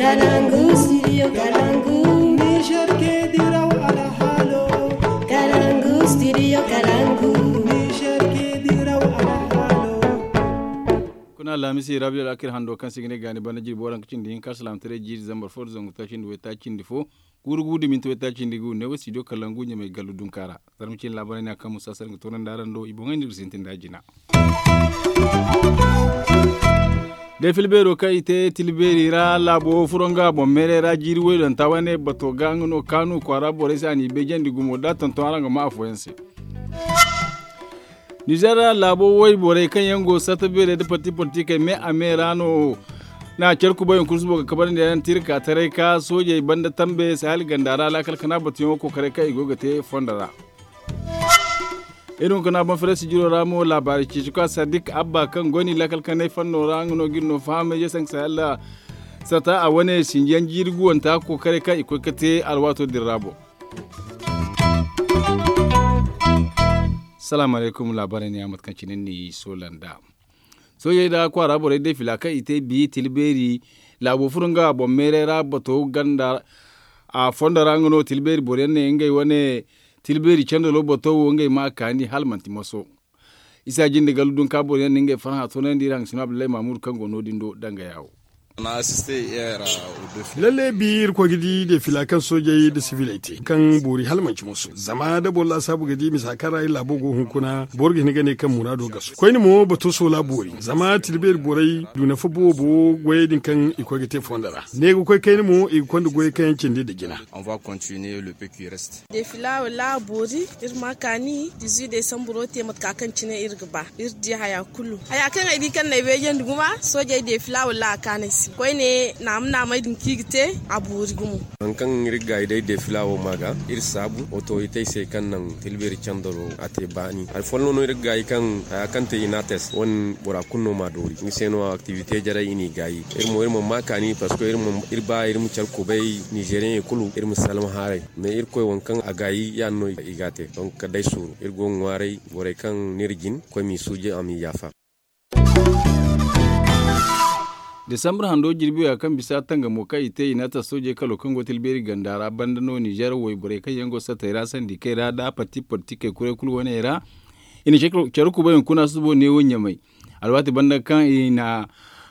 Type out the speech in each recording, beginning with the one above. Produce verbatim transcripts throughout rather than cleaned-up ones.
Kalangu studio kalangu. Niger ke diraw alhalo. Kalangu studio kalangu. Niger ke diraw alhalo. Kuna alhamisi rabi alakir hando kaŋ si ga ne gaani banda jirbi waranka cindi hinka salaamataray jiiri zambar fo da zangu taaci nda waytaaci nda fo. Guuru gu da minti waytaaci nda gu ne wo studio kalangu ɲamay gallu dunka ra. Zarma cine laabaray ne a kaŋ musa sar ga toonandi araŋ do i boŋey nda ga sintin da jina. Day filbeero kaŋ i te tilbeeri ra laabo furo nga boŋ meeray ra jiiri waydonta wane bato ga nga no kaanu kwaara borey se a n'i beejandi gumo da tonton araŋ ga ma afooyaŋ se. Nizer laabo wayborey kaŋ yaŋ go satta beerey nda parti politikey me a me ra no na care kubay hunkuna subo ga kabarandi yaŋ tirka taray ka soojey banda tambe sahel ganda ra laakal kana batuyaŋo kokaray kaŋ i go ga te fondo ra. Iri hunkuna boŋ farasi jiro ra mo laabaari ceeci ka sadik abba kaŋ go ni laakal kanay fanno ra nga no ga iri no fahamay ye sanka sahel sata a wane sinjiyaŋ jiiri guwanta kokaray kaŋ i koy ka te alwaato din ra boŋ. Salaamu alaykum laabaarey ne yaŋ mate kaŋ cine ni soola nda soojey nda kwaara borey day fila kaŋ i te bi tilbeeri laabo furo nga boŋ meeray ra bato ganda a fondo ra nga no tilbeeri boro yaŋ ne ngey wane tilbeeri candalo bato wo ngey ma a kaani hala manti maso. Isa jinde gallu dunka boro yaŋ no ngey farhã toonandi iri hangasino abdullahi mamudu kaŋ go no- din do danga yaawo. Lalle bi irkoy ga di defila kaŋ soojey nda siviley te kaŋ boori hala manci moso zama da boro laasaabu ga di misa kaŋ ra iri laabo go hunkuna boro ga hin ga ne kaŋ muraado gasu koyne mo bato soola boori zama tilbeeri borey du nafa boobo goyey din kaŋ i koy ga te fondo ra ne ga koy kayna mo i ga konda goyey kaŋ yaŋ cindi nda jina. Defila wala a boori iri ma kaani dizuwi desamburo te mate ka kaŋ cine iri ga ba iri di haya kulu haya kaŋ ay di kaŋ na ay weejandi gumo soojey defila wala a kaani ay se koyne naama naamey din kaŋ i ga te a boori gumo. Hari kaŋ iri ga gaayi day defila wo ma ga iri saabu otorite ay se kaŋ naŋ tilbeeri candaro a te baani hari folloŋ no iri ga gaayi kaŋ haya kaŋ te inates wane bora kulu no ma doori nga se no aktivite jaray i n'i gaayi iri mo iri ma ma kaani parceque iri ba iri ma care kubay nizeriyeŋey kulu iri ma salma haaray. Mais irkoy waŋ kaŋ a gaayi ya- din no i ga a te donk kala day suuru iri go ga ŋwaaray borey kaŋ no iri jin koy m'i suuji a m'i yaafa. Desambur hando jirbi wo ya kaŋ bisa tangamo kaŋ i te i na a ta soojey kalo kaŋ go tilbeeri ganda ra banda no nizer wayborey kaŋ yaŋ go satey ra sandikey ra nda parti politikey kuray kulu wane ra i na care kubay hunkuna subo neewo ɲamay. Alwaati banda kaŋ i na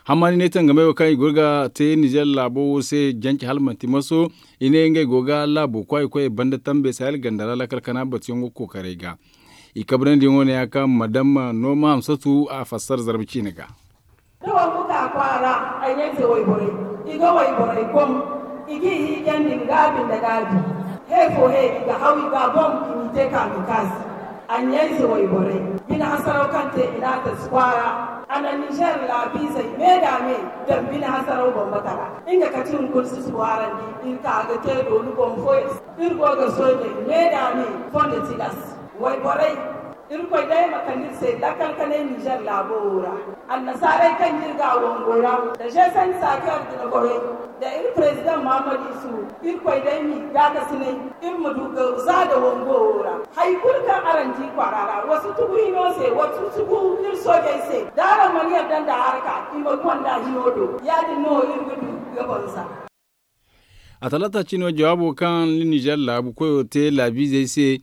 hamani ne tangamey wo kaŋ i go ga te nizer laabo wo se jance hala manti maso i ne ngey go ga laabo kwaayi koyey banda tambe sahel ganda ra laakal kana batuyaŋo kookaray ga. I kabrandi yaŋo ne ya kaŋ madam nooma hamsatu a fassara zarma ciine ga. Da wangu ka kwaara ay ɲayze wayborey i ga wayborey kom i g'i hiijandi nga binde gaabi. He fo he i ga haw i ga boŋ i m'i te kaamikaasi. Ay ɲayze wayborey bine hasaraw kaŋ te i n'a tasi kwaara a na nizer laabiizey me da me daŋ bine hasaraw boŋ batara nga kati hunkuna si si waarandi iri ka ga te doolu boŋ fo iri go ga soojey me da me fondo tilas. Wayborey irkoy day ma kande iri se lakkal kanay nizer laabo wo ra. Annasaarey kaŋ ga iri ga a wango ra da zeesanni saakeer jinaborey da iri prezidaŋ mahamadu isu irkoy day m'i gaakasinay iri ma du ga za nda wango wo ra. Hari kulu kaŋ araŋ di kwaara ra wa si tugu hino se wa si tugu iri soojey se da araŋ mana yadda nda haraka i ma gonda hino do ya- din no iri ga du ga banza. A talaata cino jawaabo kaŋ nizer laabu koyo te laabiizey se.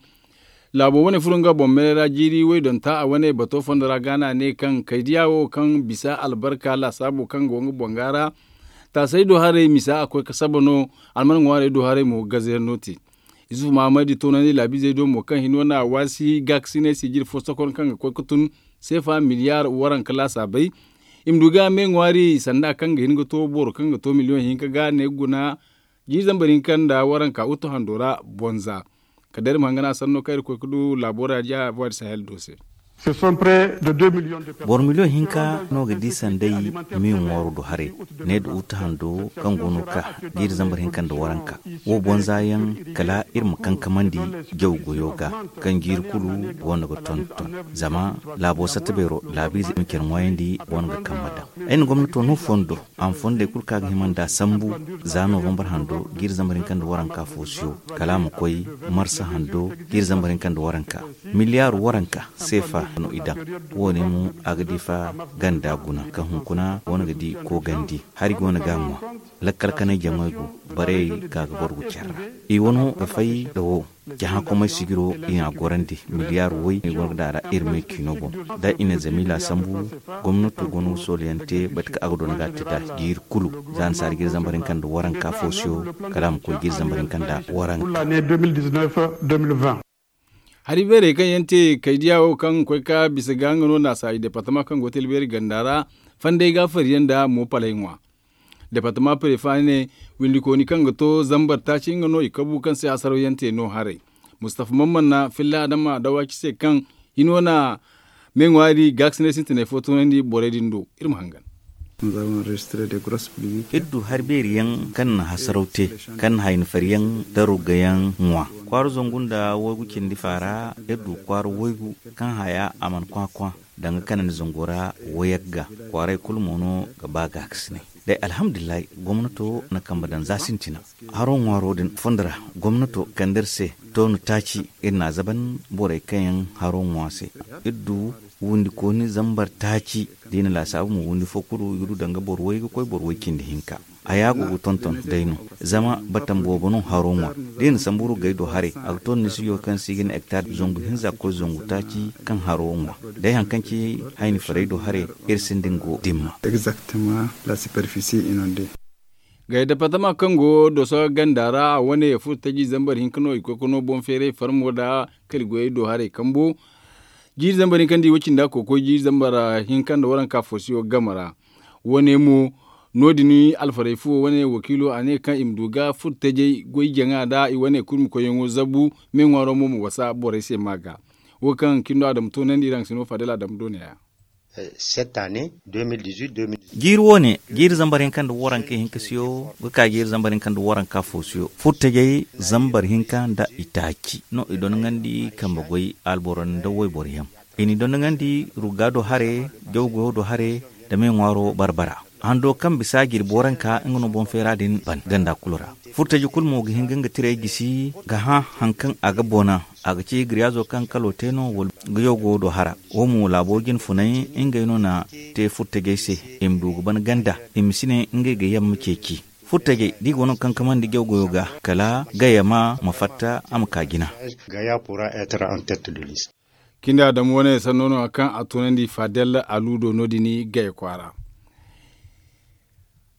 Laabo wane furo nga boŋ meeray ra jiiri waydonta a wane bato fondo ra gaana ne kaŋ kaydiya wo kaŋ bisa albarka laasaabo kaŋ go nga boŋ ga ra. Taasay do haray misa a koy ga saba no alman ŋwaarey do haray mo gaze yaŋ no te. Isufu mahamadi toonandi laabiizey do mo kaŋ hino na waasi gaakasinay sijiri fo sokon kaŋ ga koy ga tun seefa miliyaar waranka laasaabey. I ma du ga me ŋwaari sanda kaŋ ga hin ga to boro kaŋ ga to miliyoŋ hinka ga ne ga guna jiiri zambar hinka nda waranka uttu hando ra bonza. Kala day iri ma hangana sanno kaŋ iri koy ga du laabo ra diya voie de sahel do se. Boro miliyoŋ hinka no ga di sanday me ŋwaaro do haray ne da uttu hando kaŋ go no ka jiiri zambar hinka nda waranka. Wo bonza yaŋ kala iri ma kankamandi jaw goyo ga kaŋ jiiri kulu go no ga tonton zama laabo satta beero laabiize ma care ŋwaayandi go no ga kambe daŋ. Ay na gomnato no fondo a ma fondey kulu kaŋ a ga hima nd'a sambu za novembar hando jiiri zambar hinka nda waranka foosiyo kala a ma koy marsa hando jiiri zambar hinka nda waranka miliyaar waranka seefa. no i daŋ. Wo- ne mo a ga difa ganda guna kaŋ hunkuna go no ga di koogandi hari go no ga a ŋwa. Lakkal kanay jamey go, barey ga ga borgu care ra. I wano ga fay nda wo, jahakomey sijiro i n'a gorandi miliyaar woy i go no ga daŋ a ra. Iri me ciino boŋ da i na zamila sambu. Gomnato go no ga soolayaŋ te bate kaŋ a ga doona ga a te nd'a jiiri kulu. Za annasaara jiiri zambar hinka nda waranka fo siyo, kala a ma koy jiiri zambar hinka nda waranka. Hari beerey kaŋ yaŋ te kaydiya wo kaŋ ga koy ka bisa ga nga no naasa i departama kaŋ go ga te albeeri ganda ra, fandey ga a fari yaŋ nda mo palay ŋwa. Departama prefa ne, windikooni kaŋ ga to zambar taaci nga no i kabu kaŋ se hasaraw yaŋ te no haray. Mustafa mamman na filla adama dawaci se kaŋ hino na me ŋwaari gaakasinay sintinay fo toonandi borey din do. Iri ma hangan. Iri du hari beeri yaŋ kaŋ na hasaraw te, kaŋ na hayni fari yaŋ da rugga yaŋ ŋwa. Kwaara zangu nda waygu cindi faara iri du kwaara waygu kaŋ haya a mana kwakwa danga kanandi zango ra. Wayagga kwaaray kulu mo no ga ba gaakasinay. Day alhamdulillahi, gomnato na kambe daŋ za sintina. Haro ŋwaaro din fondo ra, gomnato kande iri se toonu taaci. Iri n'a zaban borey kaŋ yaŋ haro ŋwa se. Iri du windikooni zambar taaci da i na laasaabu mo windi fo kulu i ga du danga boro way ga koy boro way cindi hinka. Haya go ga tonton day no, zama batam boobo no haro ŋwa. Da i na sambu ruggey do haray a ga to ni si yo kaŋ se i ga ne hektar zangu hinza ga koy zangu taaci kaŋ haro ŋwa. Day hari kaŋ ci hayni farey do haray, iri sinda nga go dimma. Gay departama kaŋ go doso ganda ra a wane furo taji zambar hinka no i koy ga no boŋ feeray farmo nda kali goyey do haray kambo. Jiiri zambar hinka nda i way cindi a kokoy jiiri zambar hinka nda waranka fosiyo game ra. Wane mo no- din alfarey fuwo wane wakiilo a ne kaŋ i ma du ga furo tajey goy jaŋa nda i wane kulu ma koyyaŋo zabu. Me ŋwaaro mo ma wasa borey se ma ga wo kaŋ kindo a dama toonandi iri haŋ sino fadel a dama doonaya. Jiiri wo- ne jiiri zambar hinka nda waranka hinka siyo ga ka jiiri zambar hinka nda waranka fo siyo furtajey zambar hinka nda itaaci no i dondoŋandi kambe goy alboro nda wayboro yaŋ. I n'i dondoŋandi rugga do hare jawgoyo do hare nda me ŋwaaro barbara. Hando kaŋ bisa jirbi waranka nga no boŋ feera din ban ganda kulu ra. Furtaji kulu mo ga hin ga nga tirey gisi ga hã haŋ kaŋ a ga boona. A ga ci giriyaazo kaŋ kalo te no wala ga yawgo do hara. Wo mo laabo jine funay ngey no na te furtajey se i ma du ga ban ganda i ma si ne ngey ga yamma ceeci. Furtajey da i go no ga kankamandi jawgoyo ga kala gayama ma fatta a ma ka jina. Cindi a dama wane sanno no kaŋ a tunandi fadel aluudo no- din gay kwaara.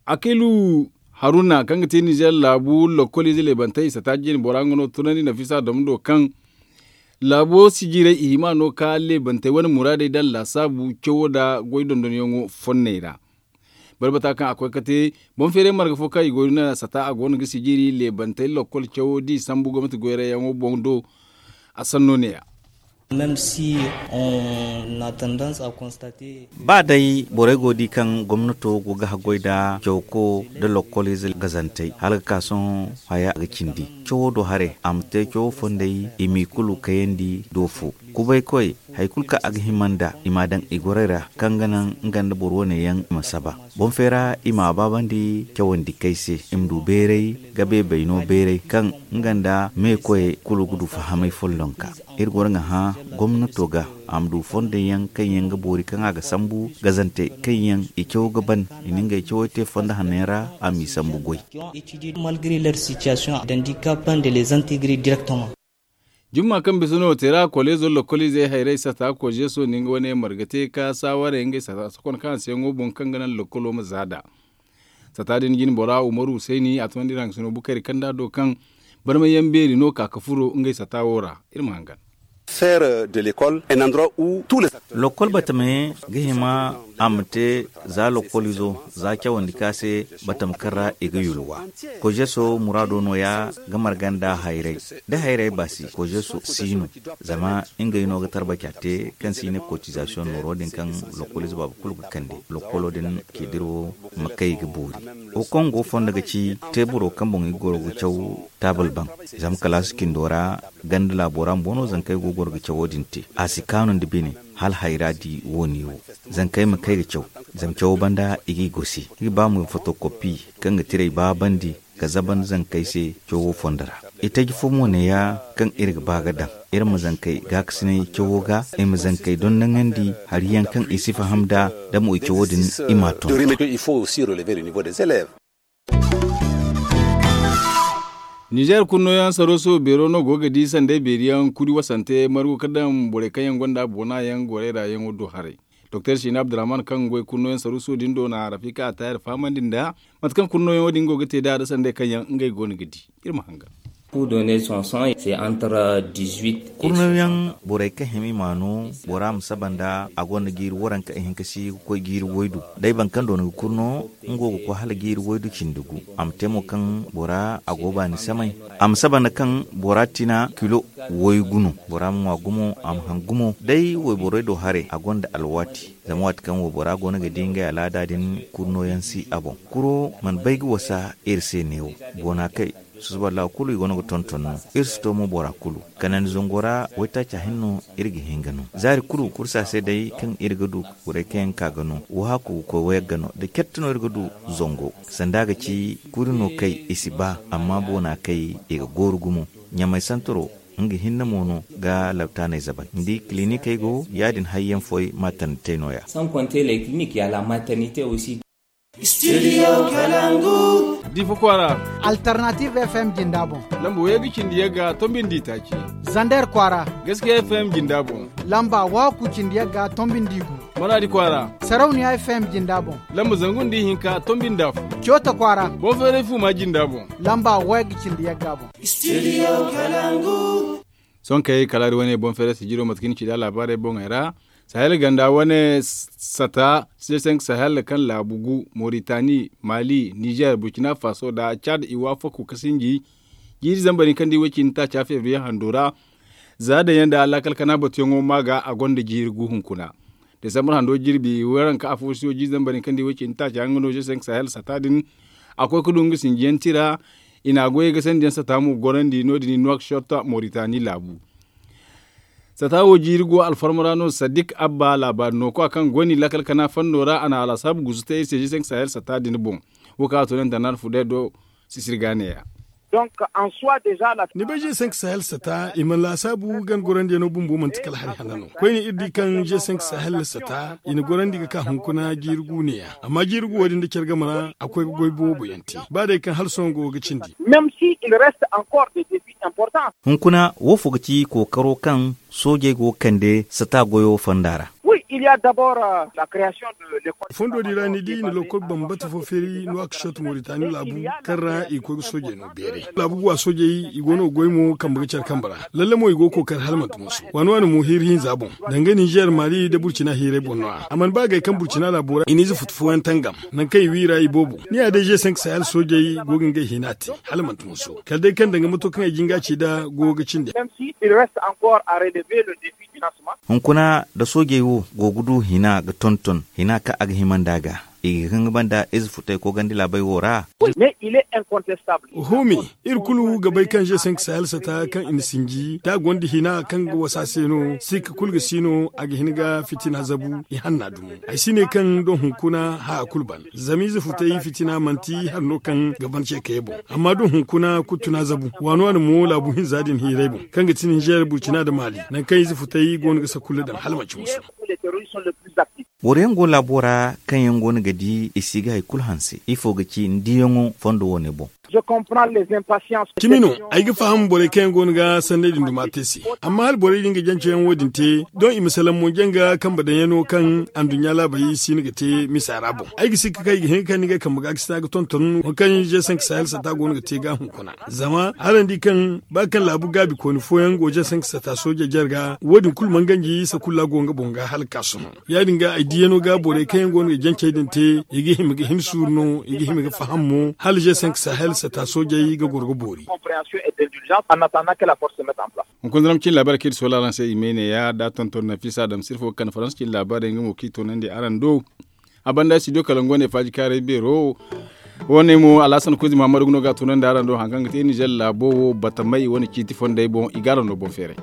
Akilu haruna kaŋ ga te nizer laabu lokoliize leebantey i sata jine bora nga no tunandi nafisa dama do kaŋ laabo si jiray i hima no ka leebantey wane muraadey daŋ laasaabu cawo nda goy dondonyaŋo fonney ra. Barbata kaŋ a koy ga te boŋ feeray marga fo kaŋ i go no sata a go no ga sijiri leebantey lokol cawo da i sambu gomnati goyrayyaŋo boŋ do. A sanno ne ya. Ba day borey go ga di kaŋ gomnato go ga haggoy nda cawko nda lokoliize gazantey hala ga ka sohõ haya ga cindi cawo do haray a ma te cawo fondey i m'i kulu kayandi do fo. Kubaykoy hari kulu kaŋ a ga hima nd'a i m'a daŋ i gorey ra kaŋ ga naŋ nga nda boro wane yaŋ i ma saba. Boŋ feera i m'a baabandi cawandi kay se i ma du beeray ga beebayno beeray kaŋ nga nda meekoyey kulu ga du fahamay follonka. Iri goro ga hã gomnato ga a ma du fondey yaŋ kaŋ yaŋ ga boori kaŋ a ga sambu gazantey kaŋ yaŋ i caw ga ban i na ngey cawey te fondo hanno yaŋ ra a m'i sambu goy. Jumma kaŋ bisa no teera koleezo lokoliizey hayrey sata kojeso nda nga wane marga te ka saawarey ngey sata sokon kaŋ a se yaŋo boŋ kaŋ ga naŋ lokolo ma za nd'a. Sata din jine bora umaru husayni a tunandi iri haŋ ga sino bukari kanda do kaŋ barmay yaŋ beeri no ka ga furo ngey sata wo ra. Iri ma hangan. Lokol batame ga hima a ma te za lokoliizo za cawandi ka se batame kaŋ ra i ga yulwa. Kojeso muraado nooya ga marga nda hayray da hayray baasi kojeso si no. Zama ngey no ga tarbaca te kaŋ se i ne kotizasiyoŋ nooro din kaŋ lokoliize baaba kulu ga kande lokolo din ceediro ma kay ga boori. Wo kaŋ go fondo ga ci teeburo kaŋ boŋ i goro ga caw taabal baŋ. Zama kalaasi cindo ra ganda laabo ra bumbo no zankey go ga goro ga cawo din te a si kaanu nda bine. Hala hayra di wo- ne wo zankey ma kay ga caw zama cawo banda i g'i gosi i ga ba mo fotokopi kaŋ ga tirey baabandi ga zaban zankey se cawo fondo ra. Itaji fo mo neeya, kaŋ iri ga ba ga daŋ, iri ma zankey gaakasinay cawo ga, i ma zankey dondoŋandi hari yaŋ kaŋ i si faham nd'a. Da mo i cawo din, i m'a ton. Nizeer kunno yaŋ sarooso beero no go ga di sanday beeri yaŋ kuri wasante margu ka daŋ borey kaŋ yaŋ gonda boona yaŋ gorey ra yaŋo do haray. Doktor siina abdurrahman kaŋ goy kunno yaŋ sarooso din do na rafika atayar fahamandi nda mate kaŋ kunno yaŋo din go ga te nd'a da sanday kaŋ yaŋ ngey go no ga di. Iri ma hangan. Kurno yaŋ borey kaŋ hima i ma no, bora ma saba nda a gonda jiiri waranka ihinka si ga koy jiiri waydu. Day boro kaŋ doona ga kurno, nga wo ga koy hala jiiri waydu cindi gu. A ma te mo kaŋ bora a go baani samay. A ma saba nda kaŋ bora tina kilo waygu no. Bora ma ŋwa gumo, a ma haŋ gumo. Day wayborey do haray a gonda alwaati. Zama waati kaŋ waybora goono ga di ngey alaada din, kurno yaŋ si a boŋ. Kuro mana bay ga wasa iri se neewo. Boona kay, susuba laawa kulu i goono ga tonton no. Iri si to mo bora kulu. Kanandi zango ra waytaaca hinne no iri ga hin ga no. Zaari kulu kursa se day kaŋ iri ga du borey kaŋ yaŋ ka ga no, wahaaku ga koy wayagga no. Da certe no iri ga du zango. Sanda ga ci kuri no kay i si ba, amma boona kay i ga gooru gumo. Ɲamay santaro, nga hinne mo no ga laptaaney zabay. Ni di kilinikey go, yaadin hayyaŋ fooyaŋ maternite no- ya. Studio Kalangu. Difa kwaara. Alternative F M jinda boŋ. Lamba waygu cindi yagga tombi nda itaaci. Zander kwaara. Gaskiya F M jinda boŋ. Lamba waaku cindi yagga tombi nda igu. Maradi kwaara. Sarauniya F M jinda boŋ. Lamba zangu nda ihinka tombi nda fu. Coota kwaara. Boŋ feeray fu ma jinda boŋ. Lamba waygu cindi yagga boŋ. Studio Kalangu. Sohõ kay kala iri wane boŋ feeray sijiro mate kaŋ ni ci nd'a laabaarey boŋey ra. Sahel ganda wane sata, seesenk sahel kaŋ laabu gu, moritani, mali, nizer, burkina faso nda cad i waafaku ga sinji. Jiiri zambar hinka nda i way cindi taaca febriye hando ra. Za daŋ yaŋ nda laakal kana batuyaŋo ma ga a gonda jiiri gu hunkuna. Desambar hando jirbi waranka afo si wo jiiri zambar hinka nda i way cindi taaca nga no seesenk sahel sata din. A koy ga du nga sinjiyaŋ tira. I na a goyey ga sandiyaŋ sata mo gorandi no- din i nuwakshot moritani laabu. Sata wo jiiri go alfarma ra no sadik abba laabaari no koy a kaŋ goy no i laakal kana fando ra a na a laasaabu gusu te iri se g cinq sahel sata din boŋ. Wo kaŋ a to ne internet fudey do sisiri ga neeya. Ni bay g cinq sahel sata i mana laasaabu gan gorandiyaŋo bumbo manti kala hari hanna no. Koyne iri di kaŋ g cinq sahel sata i na gorandi ga ka hunkuna jiiri gu neeya. Amma jiiri gu wo- din da care game ra a koy ga goy boobo yaŋ te ba day kaŋ hala sohõ go ga cindi. Hunkuna wo fo ga ci kookaro kaŋ soojey go ga kande sata goyo fonda ra? Fondo din ra ni di i na lokkol bambata fo feeri nuwakshot moritani laabu kaŋ ra i ga koy ga soojey no beeray laabu guwa soojey i go no ga goy mo kambe ga care kambe ra. Lalle mo i go ga kookari hala manti mooso waani waani mo hiiri hinza boŋ. Danga ninzeer maali nda burcina hiirey boŋ no- ya a mana ba gay kaŋ burcina laabo ra i na ize futu fooyaŋ tangam. Nangu kaŋ i wi i ra i boobo ni ya day g cinq sahel soojey go ga ngey hina te hala manti mooso kala day kaŋ danga mato kaŋ ay jinga ci nd'a go ga cindi. Hunkuna da soojey wo go ga du hina ga tonton hina kaŋ a ga hima nd'a ga i ga hin ga banda ize futey koogandi laabey wo ra. Oho me, iri kulu ga bay kaŋ g cinq sahel sata kaŋ i na sinji da a gonda hina kaŋ ga wasa se no sikka kulu ga si no a ga hin ga fitina zabu i hanna dumo. Ay si ne kaŋ doŋ hunkuna haya kulu ban zama ize futey fitina manti hari no kaŋ ga ban ceekayey boŋ. Amma doŋ hunkuna kulu tuna zabu waani waani mo laabu hinza din hiirey boŋ kaŋ ga ti ninzeer burcina nda maali nangu kaŋ ize futey go no ga sakulla daŋ hala manti musu. Boro yaŋ go laabo ra kaŋ yaŋ go no ga di i si ga hari kulu hanse ifo ga ci ni diyaŋo fondo wo- ne boŋ? Cimi no. Ay ga faham borey kaŋ yaŋ go no ga sanney din duma te se. Amma hala borey din ga janceyaŋ wo- din te doŋ i ma salaŋ mo janga kambe daŋyaŋo kaŋ anduɲɲa laabey si no ga te misa ra boŋ ay ga sikka kaŋ i ga hin ga kande ngey kambe ga ga sina ga tonton waŋ kaŋ g cinq sahel sata go no ga te ga hunkuna. Zama araŋ di kaŋ ba kaŋ laabu gaabi kooni fooyaŋ go g cinq sata sooje jarga wo- din kulu mana ganji sakulla go nga boŋ ga hala ga ka sohõ. Ya- din ga ay diyaŋo ga borey kaŋ yaŋ go no ga jancey din te i ga hima ga hin suuru no i ga hima ga faham mo hala g cinq sahel sata soojey ga goro ga boori. Hunkuna zama cin laabaarey kaŋ iri si wala araŋ se i ma ay ne ya da tonton nafisa adama sirfo ga kande faransa cin laabaarey nga mo kaŋ i toonandi araŋ do. A banda studio kalangu wane faaji kaaray beero wane mo alhasan kuuzi mahamadu ga no ga a toonandi araŋ do hari kaŋ ga te ninzeer laabo wo batamey wane ciiti fondey boŋ i ga araŋ no boŋ feeray.